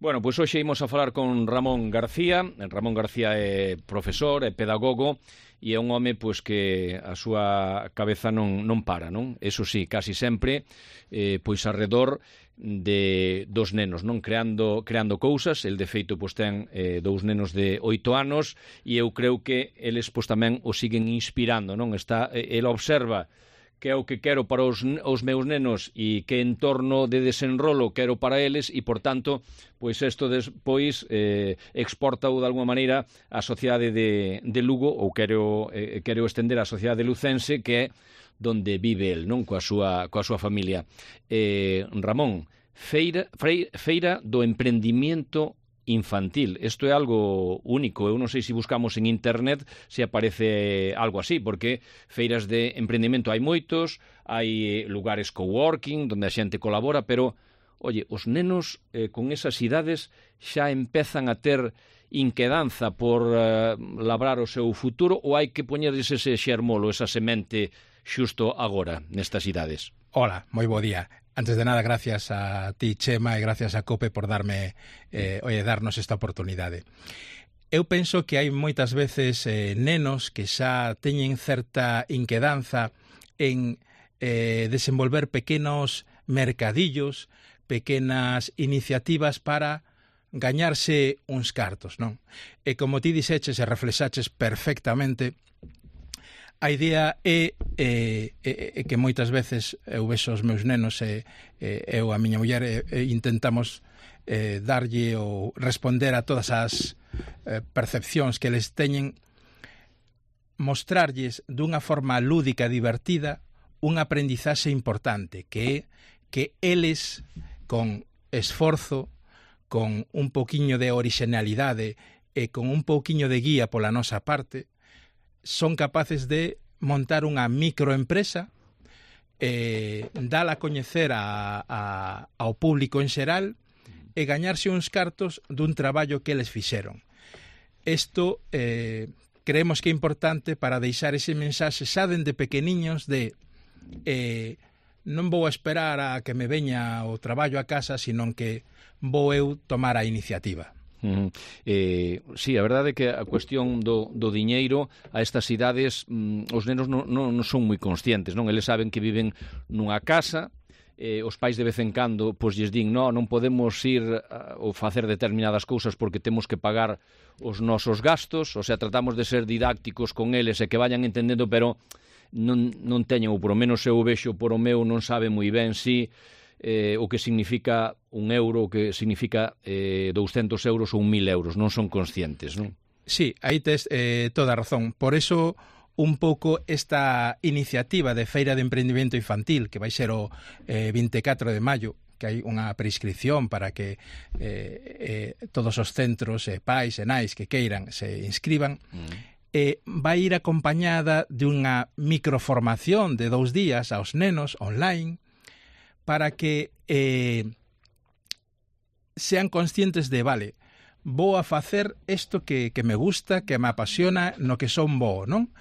Bueno, pois hoxe imos a falar con Ramón García. Ramón García é profesor, é pedagogo e é un home pois que a súa cabeza non para, non? Eso sí, casi sempre pois arredor dos nenos, non? Creando cousas. El de feito pois ten 2 nenos de 8 anos e eu creo que eles pois tamén o siguen inspirando, non? El observa que é o que quero para os meus nenos e que entorno de desenrolo quero para eles e, por tanto, pois isto despois exporta-o de alguma maneira á sociedade de Lugo ou quero estender á sociedade lucense que é donde vive el, non? Coa súa familia. Ramón, feira do emprendimiento infantil. Isto é algo único. Eu non sei se buscamos en internet se aparece algo así, porque feiras de emprendimento hai moitos, hai lugares coworking onde a xente colabora, pero, oye, os nenos con esas idades xa empezan a ter inquedanza por labrar o seu futuro ou hai que poñerles ese xermolo, esa semente xusto agora, nestas idades? Hola, moi bo día. Antes de nada, gracias a ti, Chema, e gracias a COPE por darnos esta oportunidade. Eu penso que hai moitas veces nenos que xa teñen certa inquedanza en desenvolver pequenos mercadillos, pequenas iniciativas para gañarse uns cartos, non? E como ti dixeches e reflexaches perfectamente, a idea é que moitas veces eu vexo os meus nenos e eu a miña muller intentamos darlle ou responder a todas as percepcións que eles teñen, mostrarlles dunha forma lúdica e divertida un aprendizaxe importante, que é que eles, con esforzo, con un pouquiño de orixinalidade e con un pouquiño de guía pola nosa parte, son capaces de montar unha microempresa, dala a coñecer ao público en xeral e gañarse uns cartos dun traballo que eles fixeron. Isto creemos que é importante para deixar ese mensaxe xa dende pequeniños de non vou esperar a que me veña o traballo a casa, senón que vou eu tomar a iniciativa. Sí, a verdade é que a cuestión do diñeiro a estas idades os nenos non son moi conscientes, non? Eles saben que viven nunha casa, os pais de vez en cando pois lles din non podemos ir ou facer determinadas cousas porque temos que pagar os nosos gastos, o sea, tratamos de ser didácticos con eles e que vayan entendendo, pero non teñen, ou por lo menos eu vexo por o meu, non sabe moi ben si o que significa un euro, o que significa 200 euros ou 1000 euros, non son conscientes, non? Sí, aí tes toda a razón. Por eso, un pouco esta iniciativa de Feira de Emprendimento Infantil, que vai ser o 24 de maio, que hai unha prescripción para que todos os centros, pais e nais que queiran se inscriban, vai ir acompañada de unha microformación de 2 días aos nenos online, para que sean conscientes de, vale, vou a facer isto que me gusta, que me apasiona, no que son bo, non?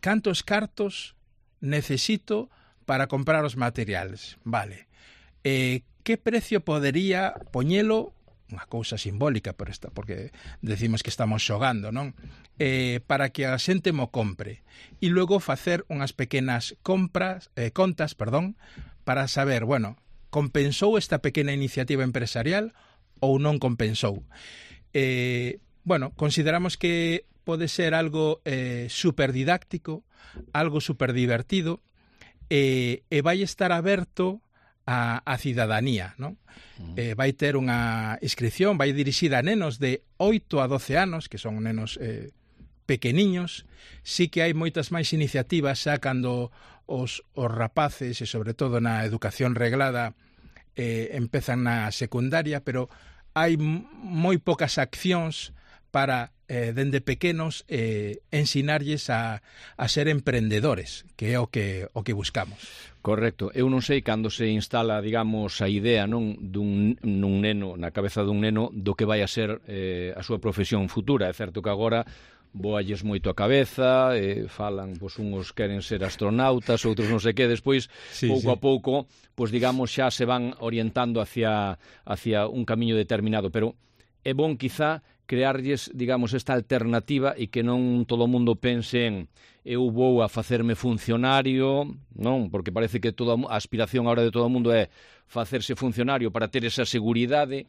Cantos cartos necesito para comprar os materiales? Vale. Que precio podería poñelo, unha cousa simbólica, porque decimos que estamos xogando, non? Para que a xente mo compre. E logo facer unhas pequenas contas, para saber, bueno, compensou esta pequena iniciativa empresarial ou non compensou. Bueno, consideramos que pode ser algo super didáctico, algo super divertido, e vai estar aberto a cidadanía, non? Vai ter unha inscripción, vai dirixida a nenos de 8 a 12 anos, que son nenos pequeniños. Sí que hai moitas máis iniciativas xa cando os rapaces, e sobre todo na educación reglada, empezan na secundaria, pero hai moi poucas accións para, dende pequenos, ensinarlles a ser emprendedores, que é o que buscamos. Correcto. Eu non sei cando se instala, digamos, a idea nun neno, na cabeza dun neno, do que vai a ser a súa profesión futura. É certo que agora boalles moito a cabeza, falan, pois uns queren ser astronautas, outros non sei que, despois, pouco a pouco, pois digamos, xa se van orientando hacia un camiño determinado, pero é bon quizá crearlles, digamos, esta alternativa e que non todo o mundo pense en eu vou a facerme funcionario, non? Porque parece que toda a aspiración agora de todo o mundo é facerse funcionario para ter esa seguridade.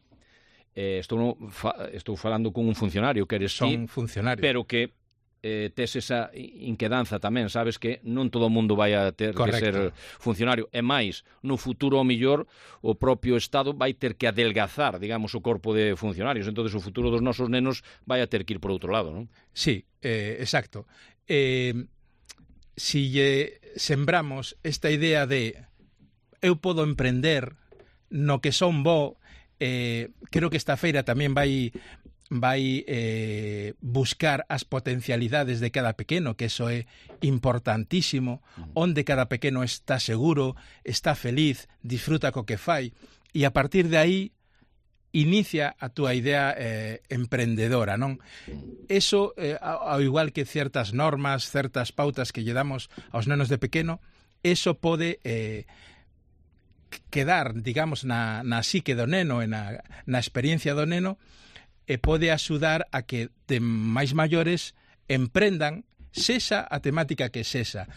Estou falando con un funcionario que eres ti, funcionario, pero que tes esa inquedanza tamén, sabes que non todo o mundo vai a ter que ser funcionario, e máis, no futuro ao millor o propio Estado vai ter que adelgazar, digamos, o corpo de funcionarios, entonces o futuro dos nosos nenos vai a ter que ir por outro lado, non? Sí, exacto. Si sembramos esta idea de eu podo emprender no que son bo, creo que esta feira tamén vai buscar as potencialidades de cada pequeno, que eso é importantísimo, onde cada pequeno está seguro, está feliz, disfruta co que fai, e a partir de aí inicia a túa idea emprendedora, non? Eso, ao igual que certas normas, certas pautas que lle damos aos nenos de pequeno, eso pode quedar, digamos, na psique do neno e na experiencia do neno, e pode axudar a que de máis maiores emprendan, sexa a temática que sexa.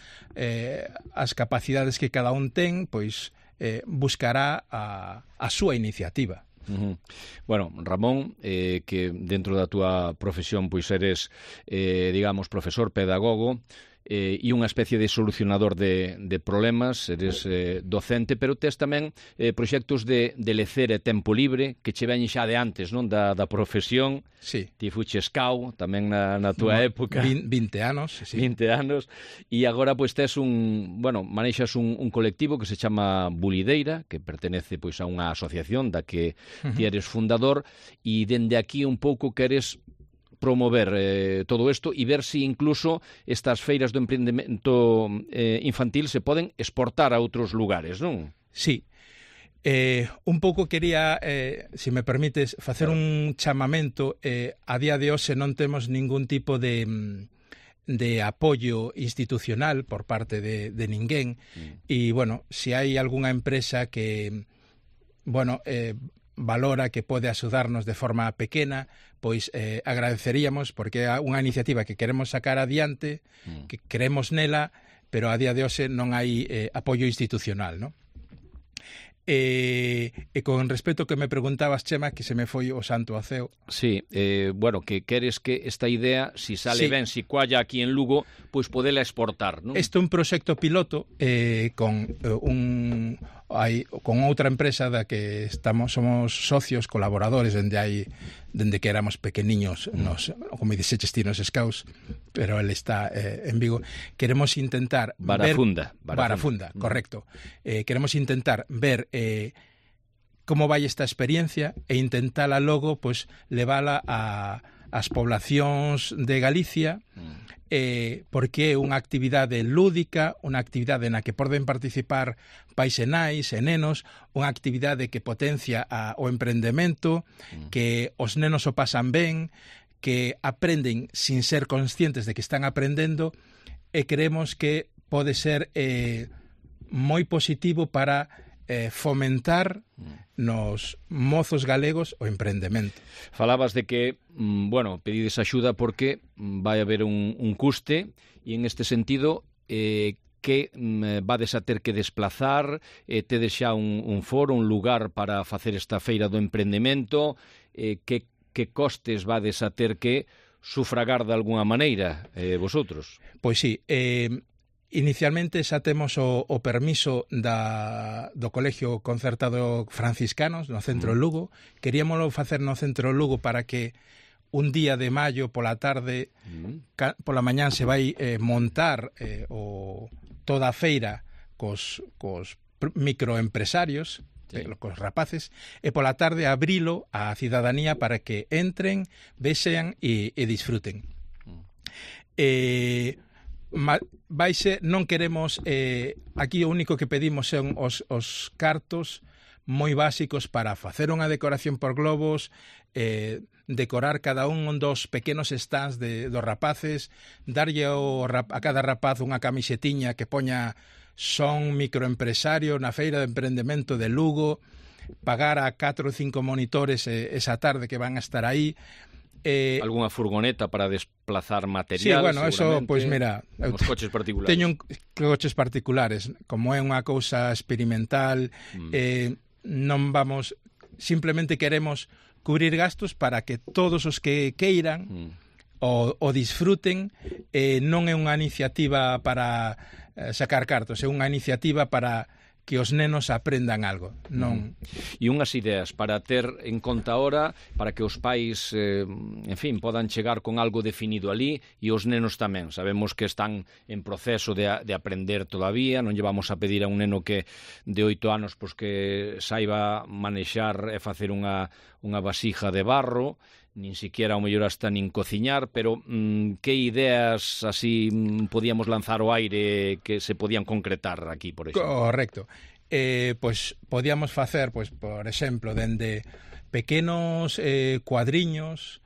As capacidades que cada un ten, pois buscará a súa iniciativa. Bueno, Ramón, que dentro da túa profesión pois eres, digamos, profesor, pedagogo, e unha especie de solucionador de problemas, eres docente, pero tes tamén proxectos de lecer e tempo libre que che veñen xa de antes, non? Da profesión. Sí. Ti fuches cao tamén na túa época. 20 anos, sí. 20 anos, e agora pois tes manexas un colectivo que se chama Bulideira, que pertenece pois a unha asociación da que ti eres fundador, e dende aquí un pouco queres promover todo isto e ver se incluso estas feiras do emprendemento infantil se poden exportar a outros lugares, non? Sí. Un pouco quería, se me permites, facer un chamamento. A día de hoxe non temos ningún tipo de apoio institucional por parte de ninguén. E, bueno, se hai algunha empresa que, valora que pode axudarnos de forma pequena, pois agradeceríamos, porque é unha iniciativa que queremos sacar adiante, que creemos nela, pero a día de hoxe non hai apoio institucional, non? E con respecto que me preguntabas, Chema, que se me foi o santo ao ceo. Sí, que queres que esta idea, si sale ben, si cualla aquí en Lugo, pois podela exportar, non? Este é un proxecto piloto con outra empresa da que somos socios, colaboradores dende que éramos pequeniños, como dixeches ti nos Scouts, pero ele está en Vigo. Queremos intentar Barafunda, correcto. Queremos intentar ver como vai esta experiencia e intentala logo pois levala ás poblacións de Galicia, porque é unha actividade lúdica, unha actividade na que poden participar pais e nais e nenos, unha actividade que potencia o emprendemento, que os nenos o pasan ben, que aprenden sin ser conscientes de que están aprendendo, e creemos que pode ser moi positivo para fomentar nos mozos galegos o emprendemento. Falabas de que, pedides axuda porque vai haber un custe, e en este sentido que vades a ter que desplazar, tedes xa un foro, un lugar para facer esta feira do emprendemento, que costes vades a ter que sufragar de alguna maneira vosotros? Pois sí, inicialmente xa temos o permiso do Colegio Concertado Franciscanos no centro Lugo. Queríamoslo facer no centro Lugo para que un día de maio pola tarde, pola mañán se vai montar toda a feira cos microempresarios cos rapaces, e pola tarde abrilo á cidadanía para que entren, vexan e disfruten. Non queremos, aquí o único que pedimos son os cartos moi básicos para facer unha decoración por globos, decorar cada un dos pequenos stands dos rapaces, darlle a cada rapaz unha camisetiña que poña son microempresario na feira de emprendemento de Lugo, pagar a 4 ou 5 monitores esa tarde que van a estar aí. Algunha furgoneta para desplazar material. Sí, bueno, eso, pois mira, os coches particulares. Teño coches particulares, como é unha cousa experimental, non vamos, simplemente queremos cubrir gastos para que todos os que queiran o disfruten. Non é unha iniciativa para sacar cartos, é unha iniciativa para que os nenos aprendan algo. Non. E unhas ideas para ter en conta ahora, para que os pais, en fin, podan chegar con algo definido ali, e os nenos tamén. Sabemos que están en proceso de aprender todavía, non lle vamos a pedir a un neno que de 8 anos pois que saiba manexar e facer unha vasija de barro, nin siquiera ao mellor hasta nin cociñar, pero que ideas así podíamos lanzar ao aire que se podían concretar aquí, por exemplo? Correcto. Pois podíamos facer, pois, por exemplo, dende pequenos cuadriños,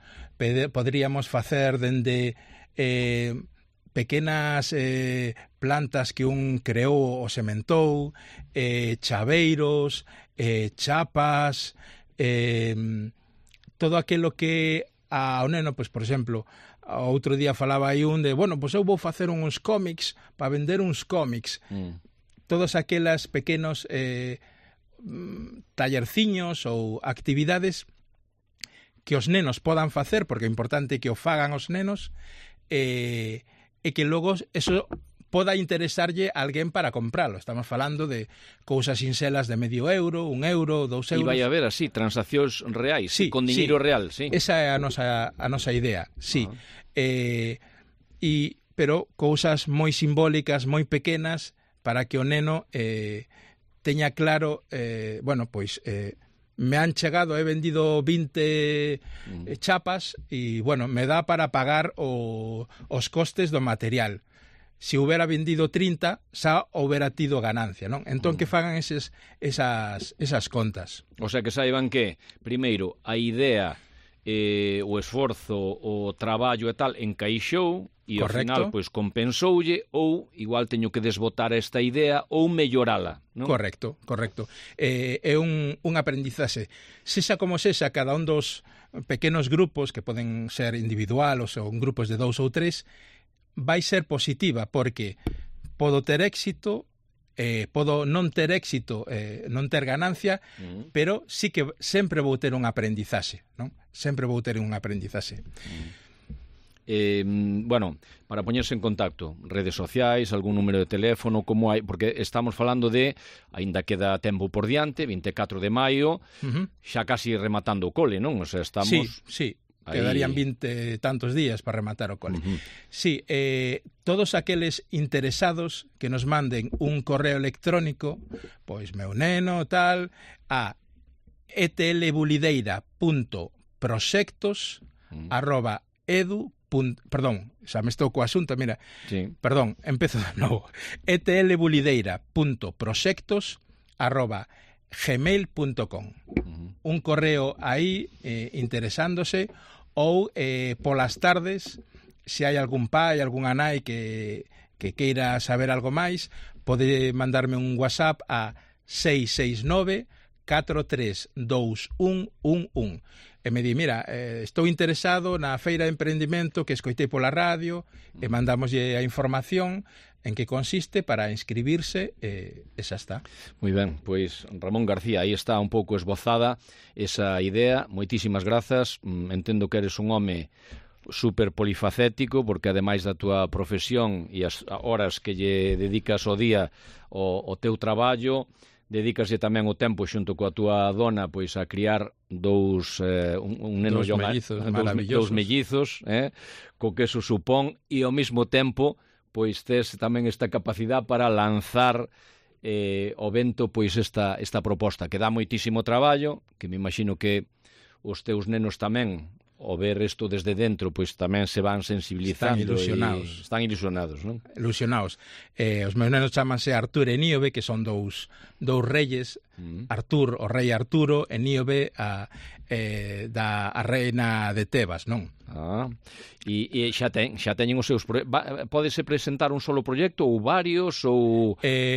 poderíamos facer dende pequenas plantas que un creou ou sementou, chaveiros, chapas, todo aquilo que ao neno, pois, por exemplo, outro día falaba aí un de, bueno, pois eu vou facer uns cómics para vender uns cómics. Todos aquelas pequenos tallerciños ou actividades que os nenos podan facer, porque é importante que o fagan os nenos, e que logo eso poda interesarlle a alguén para compralo. Estamos falando de cousas sinxelas de €0,5, €1, €2. E vai haber así transaccións reais, sí, con diñeiro real, sí. Esa é a nosa idea, sí. Pero cousas moi simbólicas, moi pequenas, para que o neno teña claro, bueno, pois me han chegado, he vendido 20 chapas e, bueno, me dá para pagar os costes do material. Se houbera vendido 30, xa houbera tido ganancia, non? Entón que fagan esas contas. O sea, que saiban que, primeiro, a idea, o esforzo, o traballo e tal, encaixou, e ao final, pois, compensoulle, ou igual teño que desbotar esta idea, ou mellorala, non? Correcto. É un aprendizaxe. Sexa como sexa, cada un dos pequenos grupos, que poden ser individuales ou grupos de 2 ou 3, vai ser positiva, porque podo ter éxito, podo non ter éxito, non ter ganancia, pero sí que sempre vou ter un aprendizaxe, non? Sempre vou ter un aprendizaxe. Bueno, para poñerse en contacto, redes sociais, algún número de teléfono, como hai, porque estamos falando de, aínda queda tempo por diante, 24 de maio, xa casi rematando o cole, non? O sea, estamos... Sí. Quedarían 20 tantos días para rematar o cole. Sí, todos aqueles interesados que nos manden un correo electrónico, pois meu neno, tal, a etlbulideira.proxectos@edu. Perdón, xa me estou co asunto, mira. Sí. Perdón, empezo de novo. etlbulideira.proxectos@gmail.com. Un correo aí interesándose, ou polas tardes, se hai algún pai, algunha nai que queira saber algo máis, pode mandarme un WhatsApp a 669 432111 e me di, mira, estou interesado na feira de emprendimento que escoitei pola radio, e mandamoslle a información en que consiste para inscribirse, e xa está. Moi ben, pois Ramón García, aí está un pouco esbozada esa idea. Moitísimas grazas. Entendo que eres un home super polifacético, porque ademais da túa profesión e as horas que lle dedicas ao día ao teu traballo, dedícaslle tamén o tempo xunto coa túa dona, pois, a criar dous neno dous mellizos, co que eso supón, e ao mesmo tempo pois tes tamén esta capacidade para lanzar ao vento pois esta proposta, que dá moitísimo traballo, que me imagino que os teus nenos tamén, ao ver isto desde dentro, pois tamén se van sensibilizando. Están ilusionados, non? Ilusionados. Os meus nenos chámanse Artur e Níobe, que son dous reyes, Artur, o rei Arturo, e Níobe, a reina de Tebas, non? E xa teñen os seus pódese presentar un solo proxecto ou varios, ou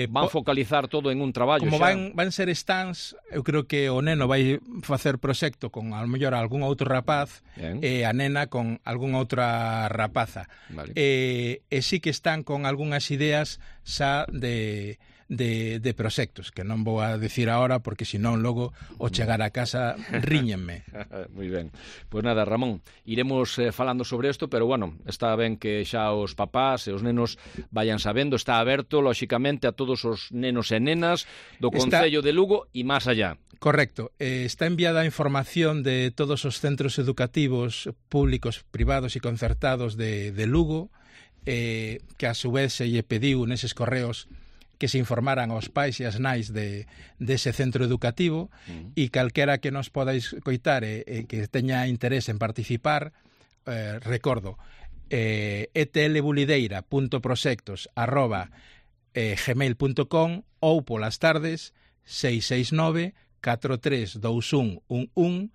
van focalizar todo en un traballo? Como van ser stands, eu creo que o neno vai facer proxecto con a lo mellor algún outro rapaz, e a nena con algunha outra rapaza. Vale. E sí que están con algunhas ideas xa de proxectos, que non vou a decir agora porque senón logo ao chegar a casa ríñenme. Moi ben. Pois nada, Ramón, iremos falando sobre isto, pero bueno, está ben que xa os papás e os nenos vayan sabendo, está aberto, lóxicamente, a todos os nenos e nenas do Concello de Lugo e máis allá. Correcto. Está enviada a información de todos os centros educativos públicos, privados e concertados de Lugo, que a su vez se lle pediu neses correos que se informaran aos pais e as nais dese centro educativo, e calquera que nos podáis coitar e que teña interés en participar, recordo, etlbulideira.proxectos@gmail.com ou polas tardes 669 432111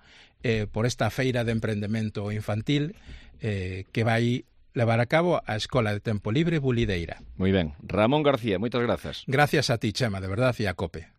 por esta feira de emprendemento infantil que vai levar a cabo a Escola de Tempo Libre Bulideira. Moi ben. Ramón García, moitas grazas. Gracias a ti, Chema, de verdad, e a COPE.